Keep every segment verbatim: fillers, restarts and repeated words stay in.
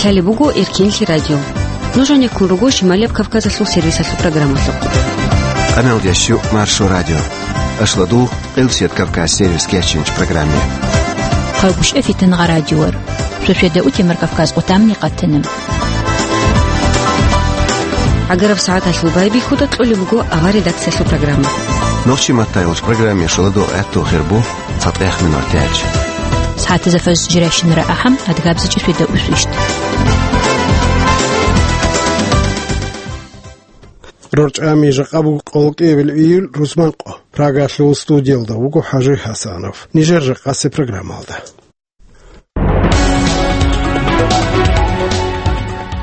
Лъалеб буго Эркинлъи радио. Нуж гьанеккун руго Шималияб Кавказалъул сервисалъул программалъухъ. Къаналдиясчу Маршо радио. Ашладул Къилсият Кавказ сервис кечинч программе. Хъалгушев Фитнагъа радиор. Шошведа утемар Кавказ къутамни къатана. ГӀагараб сагӀаталъул байбихьуда кьолеб буго авар редакциялъул программа. Нохчи маттайолч программе шоладо гӀатту хирбу цатӀех минор тяч. СагӀатазда фаз жиращинара ахӀам адгабзичӀи шведа усвищт. РорчӀами жакъа буго къолкӀиябил июль рузманкъо. Прагалъул студиялда вуго ХӀажи ХӀасанов. Нижер жакъасе программалда.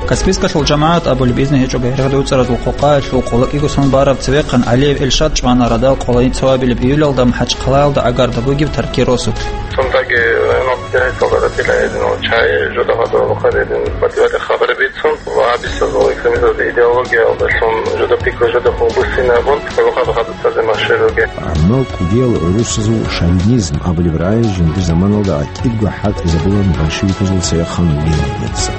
Каспийскалъул жамагӀат абулеб изну гьечӀого гьергьадуцӀаразул къокъаялъул къолокӀиго сон бараб цевехъан ГӀалиев Эльшад чӀвана радал къолайин цоабилеб июлалда МахӀачхъалаялда гӀагарда бугеб Тарки росулъ. Цундаги гьанав директорлъара тилаэдин ва чай жодагьадурал хъаридин батӀиялъе хабар бицун ва гьабисазул экстремизмалда идеологиялдалъун жодаб пикру жодахъун буссинабун, цалухъаб хадуб цазе машгьур ругел. Амма кӀудиял гӀурусазул шовинизм абулеб рагӀи жиндир заманалда гӀатӀидго хӀалтӀизабулан большевиказул цевехъан линияца.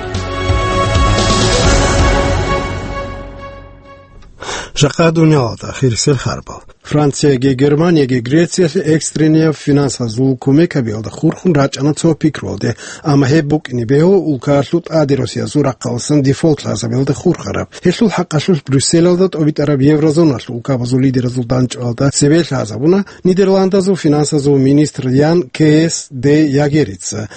Жакъа дуниялалда хирисел харбал. Францияги Германияги Грециялъе экстренияв финансазул кумек гьабиялда хурхун рачӀана цо пикруялде, амма гьеб букӀине бегьула улкаялъул тӀаде росиязул рахъаласан дефолт лъазабиялда хурхараб. Гьелъул хӀакъалъулъ Брюсселалда тӀобитӀараб еврозоналъул улкабазул лидеразул дандчӀвалда цебе лъазабуна Нидерландазул финансазул министр Ян Кеес де Ягерица.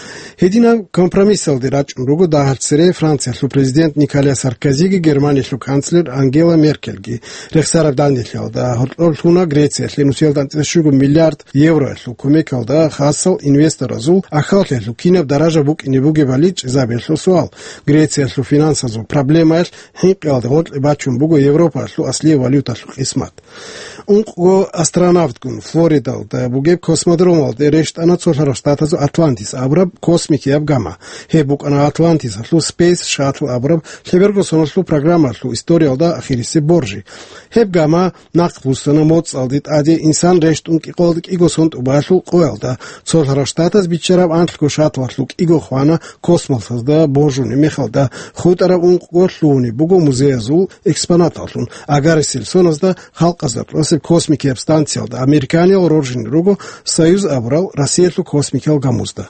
Гьединаб компромиссалде рачӀун руго дагьалъ цере Франциялъул президент Николя Саркозиги Германиялъул канцлер Ангела Меркельги. Рехсараб данделъиялда гьоркьоб лъуна Грециялъе нусиялда анцӀила щуго миллиард евроялъул кумекалда хасал инвесторазул ахаллъиялъул кинаб даража букӀине бугебали чӀезабиялъул суал. Грециялъул финансазул проблемаялъ хӀинкъиялда гъоркье бачун буго Европаялъул аслияб валюталъул къисмат. Ункъго астронавтгун Флоридалда бугеб космодромалде рещтӀана цо лъарав штатазул Атлантис абураб космикияб гама. Гьеб букӀана Атлантисалъул Space Shuttle абураб лъеберго соналъул программалъул историялда ахирисеб боржи. Гьеб гама нахъ буссана моцӀалде тӀаде инсан рещтӀун кӀикъоялда кӀиго сон тӀубаялъул къоялда. Цо лъарав штатаз биччараб анлъго шаттлалъул кӀиго хвана космосалда боржунеб мехалда, хутӀараб ункъго лъугьунеб буго музеязул экспонаталлъун. Агарисел соназда халкъазда кьосеб космикияб станциялда американиял роржине руго Союз абурал Россиялъул космикиял гамузда.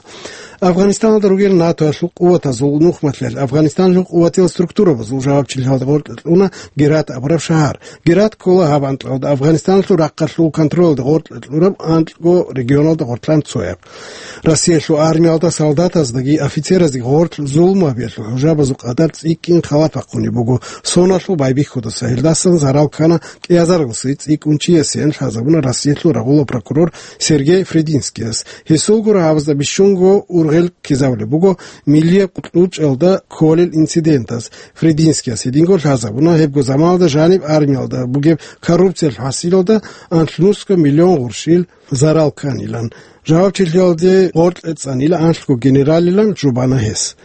Афганистаналда ругел НАТОялъул къуватазул нухмалъиялъ Афганистаналъул къуватиял структурабазул жавабчилъиялда гъоркье кьуна Герат абураб шагьар. Герат ккола гьаб анкьалда Афганистаналъул рахъалъул контролалда гъоркье кьураб анкьго регионалда гъоркьан цояб. Россиялъул армиялда солдатаздаги офицераздаги гъорлъ зулму гьабиялъул хӀужабазул къадар цӀикӀкӀин халат бахъунеб буго соналъул байбихьудаса. Гьелдасан зарал ккана кӀиазаралъуси цӀикӀкӀун чиясеян лъазабуна Россиялъул рагъула прокурор Сергей Фридинскияс. Гьесул гуро гьабазда бищунго ургъел ккезабулеб буго миллияб кьучӀалда кколел инцидентаз. Фридинскияс гьединго лъазабуна гьебго заманалда жаниб армиялда бугеб коррупциялъул хӀасилалда анлънусго миллион гъурщил зарал кканилан. Жавабчилъиялде гъоркье цӀанила анлъго генералилан жубана гьес.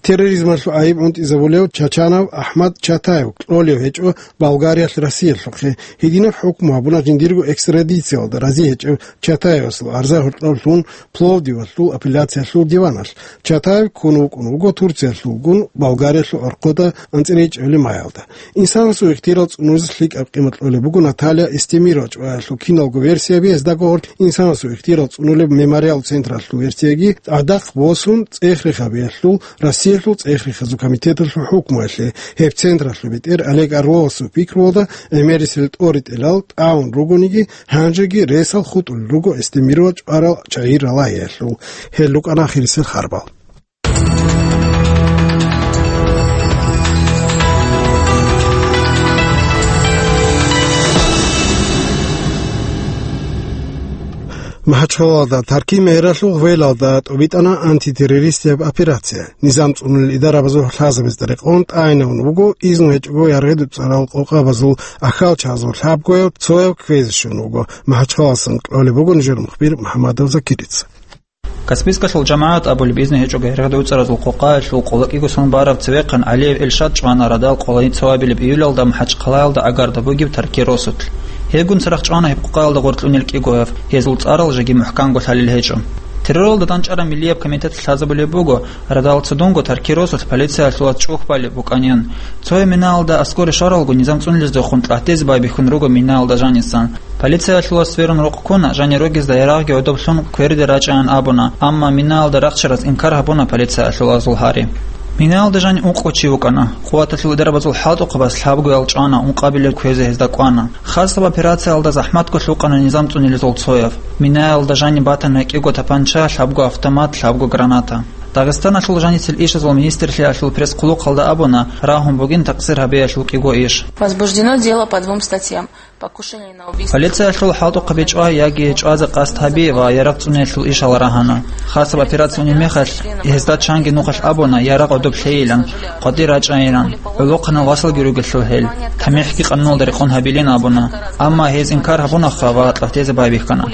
Терроризмалъул гӀайиб гӀунтӀизабулев Чачанов АхӀмад Чатаев кьолев гьечӀо Болгариялъ Россиялъухъе. Гьединаб хӀукму гьабуна жиндирго экстрадициялда рази гьечӀев Чатаевасул арза гьоркьоб лъун Пловдивалъул апелляциялъул диваналъ. Чатаев ккун вукӀун вуго Турциялъулгун Болгариялъул гӀорхъода анцӀила ичӀабилеб майалда. Инсанасул ихтияр цӀунулезул лъикӀаб къимат кьолеб буго Наталья Эстемирова чӀваялъул киналго версияби, гьездаго гьоркьоб инсанасул ихтияр цӀунулеб мемориал централъул версияги, гӀадахъ босун цӀех-рех гьабиялъул Россиялъул цӀех-рехазул комитеталъул хӀукмуялъе. Гьеб централъул бетӀер Олег Орловасул пикруялда гӀемерисел тӀоритӀелал тӀагӀун ругониги, гьанжеги ресал хутӀулел руго Эстемирова чӀварал чагӀи ралагьиялъул. Гьел рукӀана ахирисел харбал. МахӀачхъалалда Тарки мегьралъул гъвелалда тӀобитӀана антитеррористияб операция. Низам цӀунулел идарабазул лъазабазда рекъон тӀагӀинавун вуго, изну гьечӀого яргъи-дуцӀарал къокъабазул ахьалчагӀазул лъабгояв цояв кквезе щун вуго. МахӀачхъаласан кьолеб буго нижер мухбир МухӀаммадов Закирица. Каспийскалъул жамагӀат абулеб изну гьечӀого гьергьадуцӀаразул къокъаялъул къолокӀиго сон бараб цевехъан ГӀалиев Эльшад чӀвана радал къолайин цоабилеб июлалда МахӀачхъалаялда гӀагарда бугеб Тарки росулъ. Гьебгун церехъ чӀвана гьеб къокъаялда гъоркьунел кӀигояв, гьезул цӀарал жеги мухӀканго лъалел гьечӀо. Терроралда данчӀараб миллияб комитет лъазабулеб буго, радал цадунго Таркиросулъ полициялъулаз чӀухь балеб букӀанин. Цояб минаялда аскӀоре щваралго, низам цӀуниздехун кьатӀизе байбихьун руго минаялда жанисан. Полициялъулаз сверун рукъ ккуна, жани ругезда ярагъги гӀодоб лъун кверде рачӀайин абуна, амма минаялда рахчараз инкар гьабуна полициялъулазул гьари. Минаялда жани ункъо чи вукӀана. Къуваталъул дарабазул хӀалтӀухъабаз лъабгоял чӀвана, ункъабилеб кквезе гьезда кӀвана. Хасаб операциялда захӀматго лъукъана низам цӀунилезул цояв. Минаялда жаниб батана кӀиго тапанча, лъабго автомат, лъабго граната. Дагъистаналъул жаницел ишазул министрлъиялъул пресс-хъулухъалда абуна, рагьун бугин такъсир гьабиялъул кӀиго иш. Возбуждено дело по двум статьям. Покушение на убийство. Полициялъул хӀалтӀухъаби чӀвай яги чӀвазе къасд гьаби ва ярагъ цӀуниялъул ишал рагьана. Хасаб операция унеб мехалъ, гьезда чанги нухалъ абуна, ярагъ гӀодоб лъейилан, къватӀир рачӀайилан, гӀолохъанал васалги ругелъул гьел, тамихӀги къануналда рекъон гьабилин абуна. Амма гьез инкар гьабунаха ва кьатӀизе байбихьана.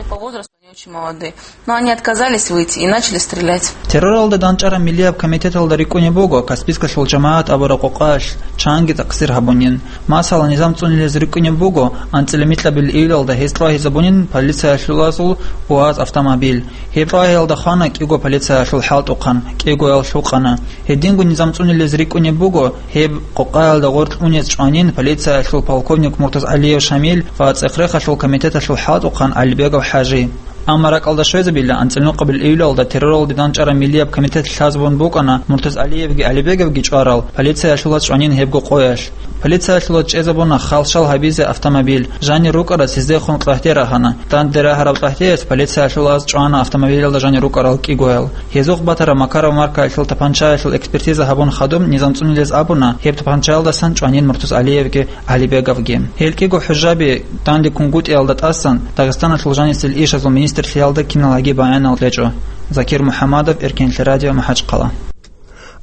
Очень молодые. Но они отказались выйти и начали стрелять. Терроралда данчӀараб миллияб комитеталда рикӀкӀунеб буго Каспийскалъул жамагӀат абураб къокъаялъ чанги такъсир гьабунин. Масала, низам цӀунилез рикӀкӀунеб буго анцӀила микьабил июлалда гьез тӀвагьизабунин полициялъулазул УАЗ автомобиль. Гьеб тӀвагьиялда хвана кӀиго полициялъул хӀалтӀухъан, кӀигоял лъукъана. Гьединго низам цӀунилез рикӀкӀунеб буго гьеб къокъаялда гъоркь унез чӀванин полициялъул полковник МуртазгӀалиев Шамил ва ЦӀехрехалъул комитеталъул хӀалтӀухъан ГӀалибегов ХӀажи. Амма ракӀалда щвезабила, анцӀила нукъабил июлалда терроралда данчӀараб миллияб комитет лъазабун букӀана МуртазгӀалиевги ГӀалибеговги чӀварал полициялъулаз чӀванин гьебго къоялъ. Полициялъулаз чӀезабуна халщал гьабизе автомобиль, жанир рукӀарас гьездехун кьагьде рагьана. Данде рагьараб кьагьдеялъ полициялъулаз чӀвана автомобилялда жанир рукӀарал кӀигоял. Гьезухъ батараб Макаров маркаялъул тапанчаялъул экспертиза гьабун хадуб низам цӀунилез абуна, гьеб тапанчаялдасан чӀванин МуртазгӀалиевги ГӀалибеговги. Гьел кӀиго хӀужаби данде кунгутӀиялда тӀасан Дагъистаналъул жанисел ишазул министрлъиялда киналги баянал кьечӀо. Закир МухӀаммадов, Эркенлъи радио, МахӀачхъала.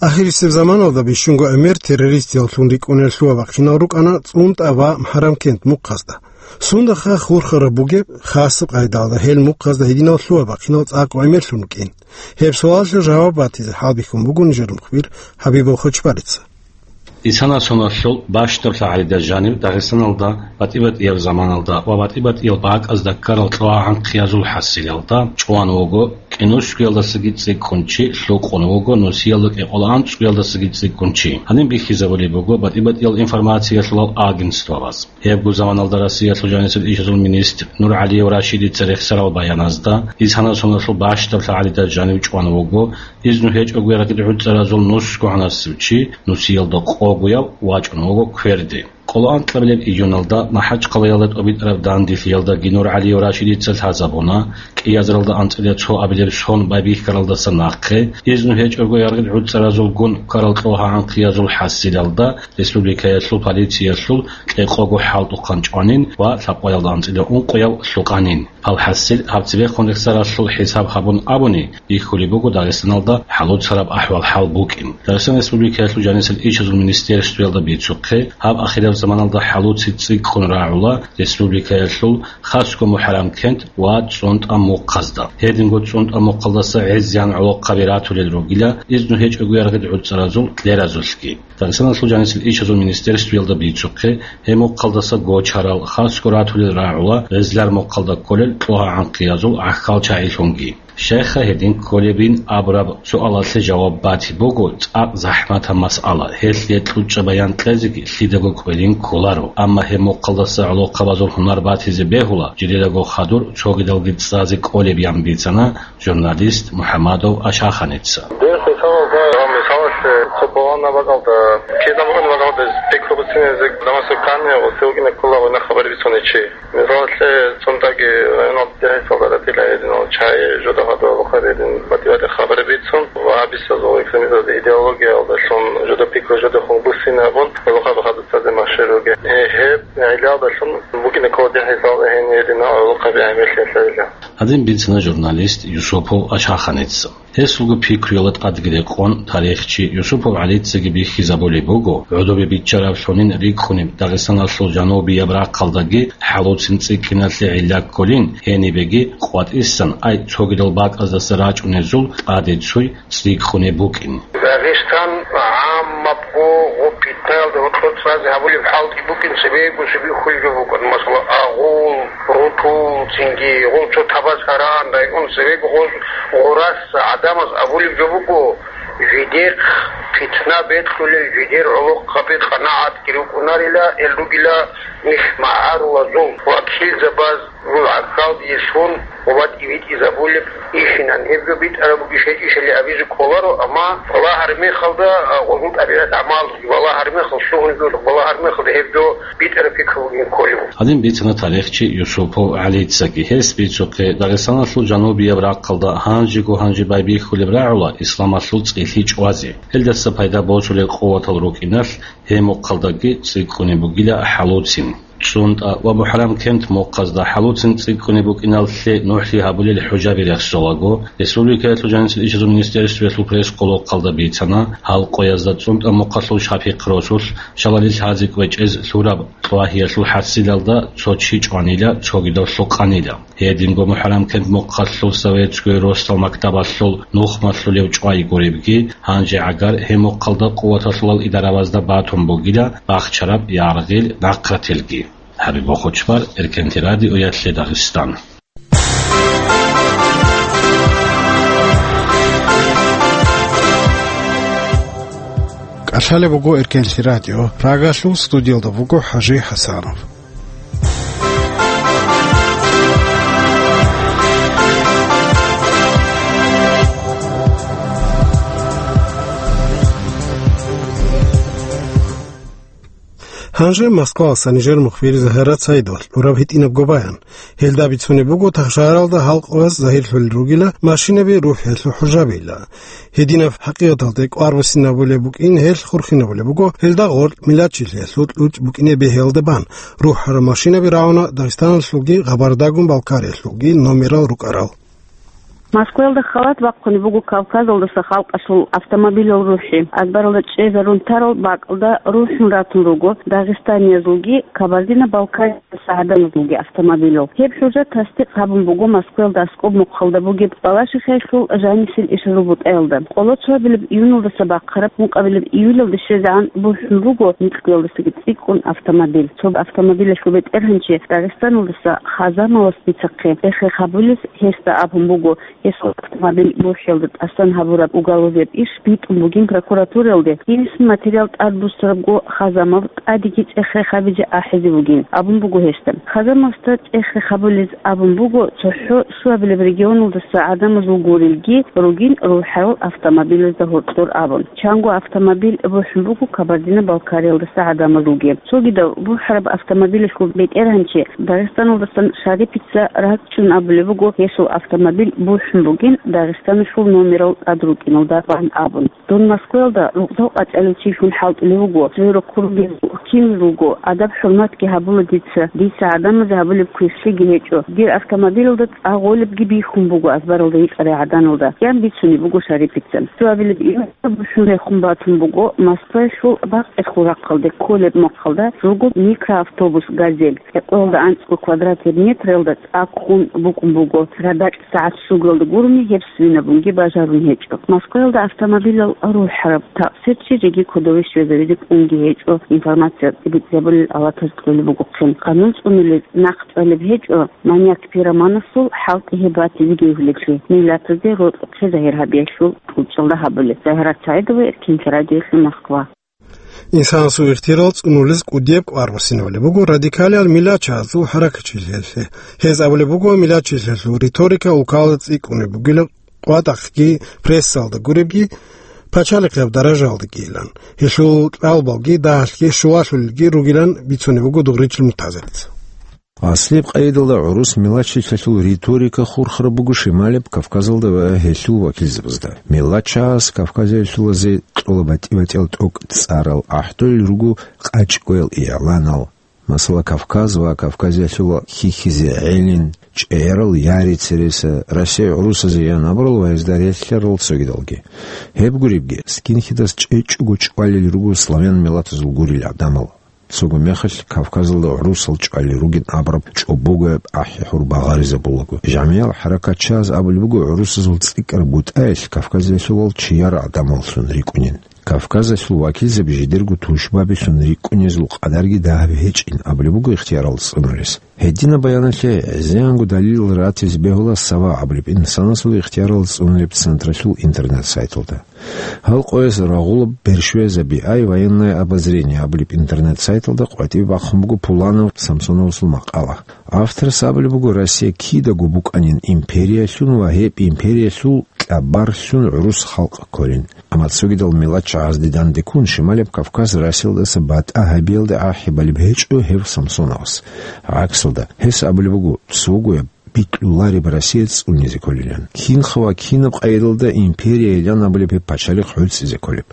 Ахирисеб заманалда бищунго гӀемер террористияллъун рикӀкӀунел лъугьа-бахъинал рукӀана ЦӀунтӀа ва МхӀарамкент мухъазда. Сунда ха хурхараб бугеб, хасаб къайдалда гьел мухъазда гьединал лъугьа-бахъинал цӀакъ гӀемерлъун рукӀин? Гьеб суалалъе жаваб батизе хӀалбихьун буго нижер мухбир Хабибов Хочбарица. Исана соналъул бащдаб лъагӀалида жанив Дагъистаналда батӀи-батӀияб заманалда ва батӀи-батӀиял бакӀазда ккарал кьогьа-гӀанхъиязул хӀасилалда чӀван вуго кӀинусгоялдасаги цӀикӀкӀун чи, лъукъун вуго нусиялда кӀикъоялда анцӀгоялдасаги цӀикӀкӀун чи. Гьаниб бихьизабулеб буго батӀи-батӀиял информациялъулал агентствояз. Гьебго заманалда Россиялъул жанисел ишазул министр НургӀалиев Рашидица рехсарал баяназда, Исана соналъул бащдаб лъагӀалида жанив чӀван вуго, изну гьечӀого ярагъил гӀуцӀаразул нусго гӀанасев чи, нусиялда къогояв, вачӀун вуго кверде. Къоло анкьабилеб июналда МахӀачхъалаялда тӀобитӀараб данделъиялдаги НургӀалиев Рашидица лъазабуна, кӀиазаралда анцӀила цо абилеб сон байбихьаралдаса нахъе, изну гьечӀого ярагъил гӀуцӀаразулгун ккарал кьогьа-гӀанхъиязул хӀасилалда республикаялъул полициялъул кьекъого хӀалтӀухъан чӀванин ва лъабкъоялда анцӀила ункъояв лъукъанин. Гьал хӀасил гьаб цебехун рехсаралъул хӀисаб гьабун абуни, бихьулеб буго Дагъистаналда хӀалуцараб ахӀвал-хӀал букӀин. Дагъистан Республикаялъул жанисел ишазул министерствоялда бицухъе, гьаб ахираб заманалда хӀалуци цӀикӀкӀун рагӀула республикаялъул хасго МухӀарамкент ва ЦӀунтӀа мухъазда. Гьединго ЦӀунтӀа мухъалдаса гӀезегӀан гӀолохъаби ратулел ругила, изну гьечӀого ярагъил гӀуцӀаразул кьеразулъги. Дагъистаналъул жанисел ишазул министерствоялда бицухъе, гьеб мухъалдаса гочарал, хасго ратулел рагӀула гъезлар мухъалда кколел кьогьа-гӀанхъиязул гӀахьал чагӀилъунги. Щайха гьедин кколебин абураб суалалъе жаваб батиб буго цӀакъ захӀматаб масъала, гьелъие кьучӀаб баян кьезеги лъидаго кӀвелин кколаро. Амма гьеб мухъалдаса гӀолохъабазул гьунар батизе бегьула, жидедаго хадур цогидалги цӀазе кӀолеб, ян бицана журналист МухӀаммадов Ашаханица. Дин хӀисабалда ва мисалалъе, цо балагьун бакӀалда, кидаго бакӀалда пикру буцинезе, намаз канни, гъосилгина ккола гъойна хабар бицуничи. Мисалалъе, ЦӀунтӀаги районалда дехӀисалда ратила гьединал чагӀи, жодагьадал хабарин батӀи-батӀи хабар бицун ва гьабисазул экстремизмалда идеологиялдалъун жодор пикру жодехун буссинабун, гӀолохъаби хадуб цазе машгьур ругел. Э, гьеб гӀиллалдалъун букӀина ккола дехӀисал гьениб гьединал гӀолохъаби гӀемерлъи лъайила. Гьадин бицана журналист Юсупов Ашаханица. Гьесулго пикруялда тӀадги рекъон, тарихчи Юсупов ГӀалицаги бихьизабулеб буго, гӀодобе биччараблъунин рикӀкӀунеб Дагъистаналъул жанубияб рахъалдаги хӀалуцин цӀикӀкӀиналъе гӀилла кколин, гьенибеги къватӀисан, ай цогидал бакӀаздаса рачӀунезул тӀаде цуй цӀикӀкӀунеб букӀин. Дагъистан гӀаммабго гъоб питнаялда гьоркьор цӀазе гьабулеб хӀалги букӀин, цебего цебе хьулги букӀун. Масала, агъул, рутул, цинги гъол цо Табасаран район, цебего гъоз Гъурас гӀадамаз абулеб жо буго, жидехъ питна бекьулел жидер гӀолохъаби къанагӀатги рукӀунарила, эл ругила нилъ магӀарулазул вакилзабаз, жул гӀахьалдиялъун ва батӀи битӀизабулеб ихинан. Гьеб жо битӀараб бугищ гьечӀищали абизе кӀоларо, амма балагьараб мехалда, а, гъозул тӀабигӀат гӀамал, балагьараб мехалда, лъугьун жо, балагьараб мехалда гьеб жо битӀараб пикру бугин кколев. Гьадин бицана тарихчи Юсупов ГӀалицаги. Гьес бицухъе, Дагъистаналъул жанубияб рахъалда гьанжего-гьанже байбихьулеб рагӀула исламалъул цӀилъи чӀвазе. Гьелдаса пайда босулел къуватал рукӀиналъ гьеб мухъалдаги цӀикӀкӀунеб бугила хӀалуцин. ЦӀунтӀа ва МухӀаррам-Кент мухъазда хӀалуцин цӀикӀкӀунеб букӀиналъе нухӀлъи гьабулел хӀужаби рехсолаго, республикаялъул жанисел ишазул министерствоялъул пресс-къолохъалда бицана, гьал къоязда ЦӀунтӀа мухъалъул Шапихъ росулъ шалалил лъази кӀвечӀез лъураб кьвагьиялъул хӀасилалда цо чи чӀванила, цогидав лъукъанила. Гьединго МухӀаррам-Кент мухъалъул Советское росдал мактабалъул нухмалъулев чӀвай гуребги, гьанже гӀагар гьеб мухъалда къуваталъулал идаравазда батун бугила бахчараб яргъил нахърателги. ХӀабиб Бохочмар, Эркенти радиоялъе Дагъистан. КӀалъалеб буго Эркенти радио, Прагалъул студиялда буго ХӀажи ХӀасанов. Гьанже Москвалъуса нижер мухбир Загьарат Саидовалъ тӀураб гьитӀинабго баян. Гьелда бицунеб буго, тахшагьаралда гьал къояз загьирлъулел ругила машинаби рухӀиялъул хӀужабила. Гьединаб хӀакъикъаталде кӀвар буссинабулеб букӀин, гьелъ хурхинабулеб буго, гьелда гъоркь миллатчилъиялъул кьучӀ букӀине бегьиялда бан рухӀарал машинаби рагӀуна Дагъистаналъулги Къабардагун-Балкариялъулги номерал рукӀарал. Москваялда халат бахъунеб буго Кавказалдаса халкъалъул автомобилал рухӀи. Азбаралда чӀезарун тарал бакӀалда рухӀун ратун руго дагъистаниязулги кабардино-балкариязулги автомобилал. Гьеб хӀужа тасдикъ гьабун буго Москваялда аскӀоб мухъалда бугеб Балашихаялъул жанисел ишазул бутӀаялда. Къоло цоабилеб июналдаса бахъараб ункъабилеб июлалде щвезегӀан бухӀун буго микьгоялдасаги цӀикӀкӀун автомобиль. Цо автомобилалъул бетӀергьанчи Дагъистаналдаса Хазамовас бицахъе, эхе хабулес гьесда абун буго, гьесул автомобиль бухӀиялда тӀасан гьабураб уголовияб иш битӀун бугин прокуратураялде, гьенисан материал тӀадбуссарабго Хазамов тӀадеги цӀех-рех гьабизе ахӀизе бугин абун буго гьесда. Хазамовасда цӀех-рех гьабулез абун буго, цохӀо щуабилеб регионалдаса гӀадамазул гурелги ругин рухӀарал автомобилазда гьоркьор абун. Чанго автомобиль бухӀун буго Кабардино-Балкариялдаса гӀадамазулги. Цогидав бухӀараб автомобилалъул бетӀергьанчи Дагъистаналдасан Шарипица ракӀчӀун абулеб буго, гьесул автомобиль бухӀун бугин Дагъистаналъул номерал тӀад рукӀиналда бан абун. Дун Москваялда рукъзал къачӀалев чилъун хӀалтӀулев вуго, цеве рокъор ругел кинлъи руго, адаб-хӀурматги гьабула дица, дица гӀадамазе гьабулеб квешлъиги гьечӀо, дир автомобилалда цӀа гъолебги бихьун буго азбаралда гьикъарай гӀаданалда, ян бицунеб буго Шарипица. Цоабилеб июлалда бухӀун рехун батун буго Москваялъул Бакъерхул рахъалде кколеб мухъалда руго микроавтобус «Газель». Гьекъоялда анцӀго квадратный метралда цӀа ккун букӀун буго. ГьадакӀ сагӀат щугоялда гурони гьеб свинабунги бажарун гьечӀо. Москваялда автомобилал рухӀараб такъсирчи жеги кодове щвезавизе кӀунги гьечӀо, информация тӀибитӀизабулел авлатаз кьолеб бугохъин. Къанун цӀунулез нахъ цӀалеб гьечӀо, маньяк-пироманасул хӀалтӀи гьеб батизеги гьуьлеблъи, миллатазде рокьухъе загьир гьабиялъул кьучӀалда гьабулеб. Загьарат Саидова, Эркенлъи радиоялъе, Москва. Инсанасул ихтияр цӀунулез кӀудияб кӀвар буссинабулеб буго радикалиял миллатчагьазул хӀаракатчилъиялъе. Гьез абулеб буго, миллатчилъиялъул риторика улкалда цӀикӀкӀунеб бугила, къватӀахъги, прессалда гуребги, пачалихъияб даражаялдагийилан. Гьелъул кьалбалги дагьалъги щулалъулелги ругилан бицунеб буго Дугъричил Муртазалица. Аслияб къайдалда гӀурус миллатчилъиялъул риторика хурхараб буго Шималияб Кавказалда ва гьелъул вакилзабазда. Миллатчагьаз Кавказалъулазе кьола батӀи-батӀиял тӀокӀ цӀарал, гӀахӀдолел руго къачӀгоял игӀланал. Масала, Кавказ ва Кавказалъула хьихьизе гӀелин, чӀегӀерал яри-цереса, Россия гӀурусазе ян абурал ва гьезда релълъарал цогидалги. Гьеб гуребги, скинхедас чӀечӀого чӀвалел руго славян миллатазул гурел гӀадамал. Цого мехалъ Кавказалда гӀурусал чӀвалел ругин абураб чӀобогояб ахӀи-хӀур багъаризабулаго. ЖамигӀал хӀаракатчагьаз абулеб буго, гӀурусазул цӀикӀкӀараб бутӀаялъ Кавказалъулал чияр гӀадамаллъун рикӀкӀунин. Кавказалъул вакилзаби жидерго тушбабилъун рикӀкӀунезул къадарги дагьаб гьечӀин абулеб буго ихтиярал цӀунулес. Гьединаб баяналъе гӀезегӀанго далилал ратизе бегьула «Сава» абулеб инсанасул ихтиярал цӀунулеб централъул интернет-сайталда. Гьал къояс рагъулаб «Бершвеза би ай военное обозрение» абулеб интернет-сайталда къватӀибе бахъун буго Пуланов Самсоновасул макъала. Авторас абулеб буго, Россия кидаго букӀанин империялъун ва гьеб империялъул кьабарлъун гӀурус халкъ кколин. Амма цогидал миллатчагӀазде данде ккун, Шималияб Кавказ Россиялдаса батӀа гьабиялде ахӀи балеб гьечӀо гьев Самсоновас. ГӀаксалда, гьес абулеб буго, цогояб бикьулареб Россия цӀунизе кколилан. Кинха ва кинаб къайдалда империялъан абулеб гьеб пачалихъ гӀуцӀизе кколеб?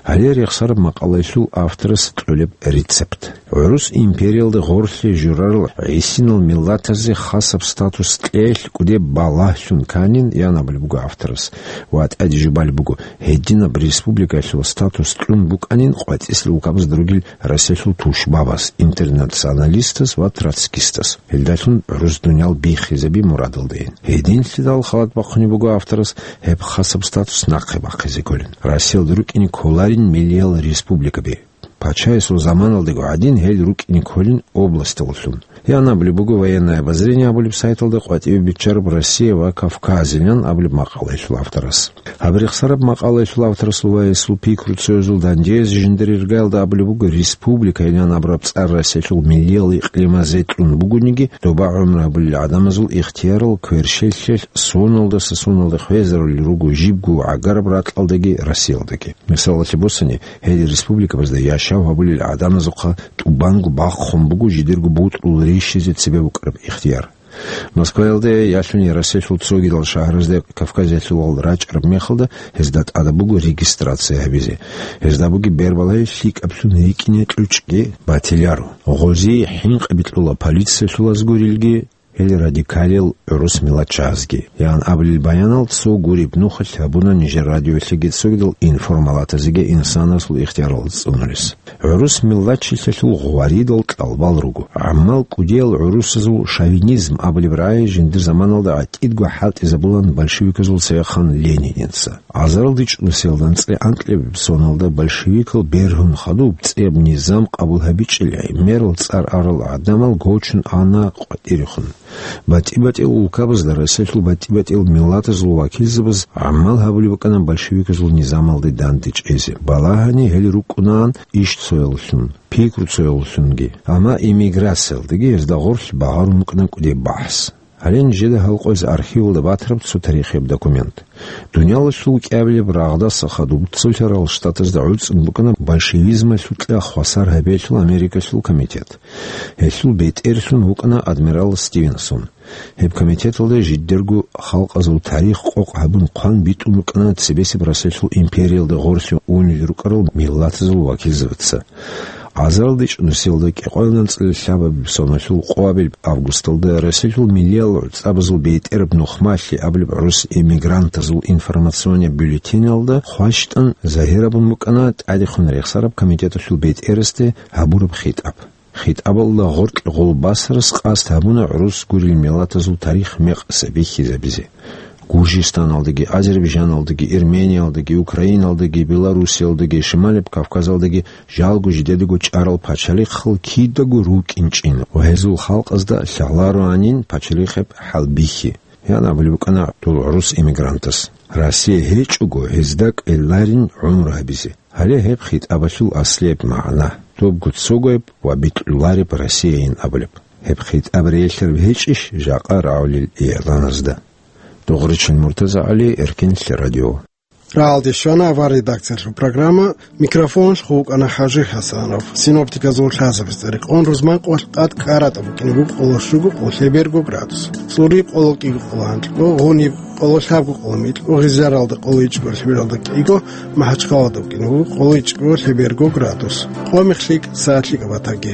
Гьале рехсараб макъалаялъул авторас кьолеб рецепт. ГӀурус империялда гъорлъе журарал гӀисинал миллатазе хасаб статус кьеялъ кӀудеб балагьлъун кканин, ян абулеб буго авторас. Ва тӀаде жубалеб буго, гьединаб республикаялъул статус кьун букӀанин къватӀисел улкабазда ругел Россиялъул тушбабаз, интернационалистаз ва троцкистаз. Гьелдалъун гӀурус дуниял биххизаби мурадалдайин. Гьединлъидал халат бахъунеб буго авторас гьеб хасаб статус нахъе бахъизе кколин. Россиялда рукӀине кколарин миллиял республикаби. Пачаясул заманалдаго гӀадин гьел рукӀине кколин областаллъун. Ян абулеб буго «Военное обозрение» абулеб сайталда къватӀиве биччараб «Россия ва Кавказилан» абулеб макъалаялъул авторас. Гьаб рехсараб макъалаялъул авторасул ва гьесул пикруцоязул дандеязе жиндир иргаялда абулеб буго, республикайилан абураб цӀар Россиялъул миллиял икълимазе кьун бугониги, доба гӀумру гьабулел гӀадамазул ихтиярал кверщелъалъ соналдаса соналда хвезарулел руго жибго гӀагараб ракьалдаги Россиялдаги. Мисалалъе босани, гьел республикабазда яшав гьабулел гӀадамазухъа тӀубанго бахъун буго жидерго бутӀрул рищизе цебе букӀараб ихтияр. Москваялде ялъуни Россиялъул цогидал шагьаразде Кавказалъувал рачӀараб мехалда гьезда тӀадаб буго регистрация гьабизе. Гьезда бугеб бербалай лъикӀаблъун рикӀкӀине кьучӀги батиларо. Гъозие хӀинкъи бикьула полициялъулаз гурилги, гьел радикалил гӀурус миллатчагӀазги, ян абулел баянал цо гуреб нухалъ гьабуна нижер радиоялъеги цогидал информалатазеги инсанасул ихтиярал цӀунулес. ГӀурус миллатчилъалъул гъваридал кьалбал руго. ГӀаммал кӀудиял гӀурусазул шовинизм абулеб рагӀи жиндир заманалда гӀатӀидго хӀалтӀизабулан большевиказул цевехъан Лениница. Азарилде чӀунусиялда анцӀила анкьабилеб соналда большевикал бергьун хадуб цӀеб низам къабул гьабичӀел гӀемерал цӀар арал гӀадамал гочун ана къватӀирехун. БатӀи-батӀиял улкабазда, Россиялъул батӀи-батӀиял миллатазул вакилзабаз гӀамал гьабулеб букӀана большевиказул низамалде дандечӀезе. Балагьани гьел рукӀунаан ишцояллъун, пикруцояллъунги, амма эмиграциялдаги гьезда гъорлъ багъарун букӀана кӀудеб бахӀс. Гьале нижеда гьал къояз архивалда батараб цо тарихияб документ. Дуниялалъул кӀиабилеб рагъдаса хадуб Цолъарал Штатазда гӀуцӀун букӀана большевизмалъукьа хвасар гьабиялъул Америкалъул комитет. Гьелъул бетӀерлъун вукӀана адмирал Стивенсон. Гьеб комитеталда жидерго халкъазул тарих къокъ гьабун хъван битӀун букӀана цебесеб Россиялъул империялда гъорлъе унел рукӀарал миллатазул вакилзабаца. Азарилде чӀунусиялда кӀикъоялда анцӀила лъабабилеб соналъул къоабилеб августалда Россиялъул миллиял гӀуцӀабазул бетӀераб нухмалъи абулеб гӀурус эмигрантазул информационный бюллетеналда хващтӀан загьирабун букӀана тӀадехун рехсараб комитеталъул бетӀерасде гьабураб хитӀаб. ХитӀабалда гъоркь гъолбасарас къасд гьабуна гӀурус гурел миллатазул тарих мекъаса бихьизабизе. Гуржистаналдаги, Азербайжаналдаги, Эрмениялдаги, Украиналдаги, Белоруссиялдаги, Шималеб Кавказалдаги жалго жидедаго чӀарал пачалихъал кидаго рукӀинчӀин ва гьезул халкъазда лъалароанин пачалихъеб хӀалбихьи, ян абулеб букӀана дол гӀурус эмигрантас. Россия гьечӀого гьезда кӀвеларин гӀумру гьабизе. Гьале гьеб хитӀабалъул аслияб магӀна, добго цогояб ва бикьулареб Россияйин абулеб. Гьеб хитӀаб релълъараб гьечӀищ жакъа рагӀулел игӀланазда? Догъричил МуртазагӀали, Эркенлъи радио. РагӀалде щвана авар редакциялъул программа, микрофоналъухъ вукӀана ХӀажи ХӀасанов. Синоптиказул лъазабаз цӀерикъон рузманкъоялъ тӀад кӀаратӀа букӀине буго къоло щуго къоло лъеберго градус. ЦӀуриб къоло кӀиго къоло гьанкьго, гъуниб къоло лъабго къоло микьго, гъизаралда къоло ичӀго лъебералда кӀиго, МахӀачхъалада букӀине буго къоло ичӀго лъеберго градус. Къо-мех лъикӀ, сагӀат лъикӀаб батаги.